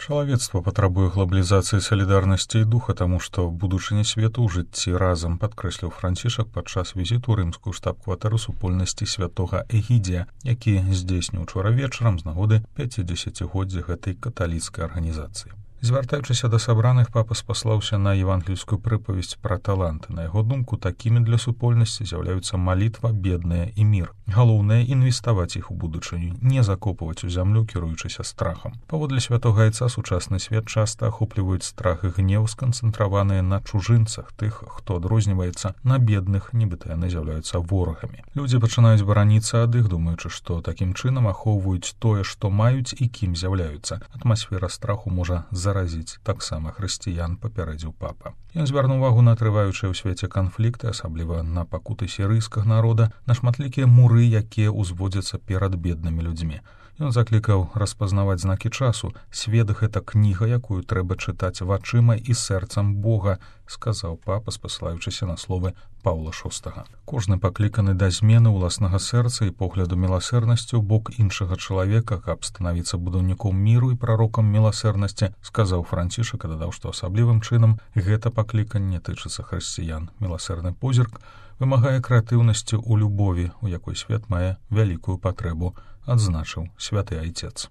Чалавецтва патрабуе глабалізацыі салідарнасці і духа, таму што будучыня свету ў жыцці разам, падкрэсліў Францішак падчас візіту ў рымскую штаб-кватэру супольнасці святога Эгідзія, які здзейсніў учора вечарам з нагоды 50-годдзя гэтай каталіцкай арганізацыі. Звяртаючыся да сабраных, папа спаслаўся на евангельскую прыпавесць пра таланты. На яго думку, такімі для супольнасці з'яўляюцца малітва, бедныя і мір. Галоўнае — інвеставаць іх у будучыню, не закопваць у зямлю, кіруючыся страхам. Паводле святога айца, сучасны свет часта ахопліваюць страх і гнеў, сканцэнтраваныя на чужынцах, тых, хто адрозніваецца, на бедных, нібыта яны з'яўляюцца ворагамі. Людзі пачынаюць бараніцца ад іх, думаючы, што такім чынам ахоўваюць тое, што маюць і кім з'яўляюцца. Атмасфера страху можа заразіць таксама хрысціян, папярэдзіў папа. Ён звярнуў увагу на трываючыя ў свеце канфлікты, асабліва на пакуты сірыйскага народа, на шматлікія муры, якія ўзводзяцца перад беднымі людзьмі. Ён заклікаў распазнаваць знакі часу. Свет — гэта кніга, якую трэба чытаць вачыма і сэрцам Бога, сказаў папа, спасылаючыся на словы Паўла VI. Кожны пакліканы да змены ўласнага сэрца і погляду міласэрнасці ў бок іншага чалавека, каб станавіцца будаўніком міру і прарокам міласэрнасці, сказаў Францішак, і дадаў, што асаблівым чынам гэта пакліканне тычыцца хрысціян. Міласэрны позірк вымагае крэатыўнасці ў любові, у якой свет мае вялікую патрэбу, адзначыў святы айцец.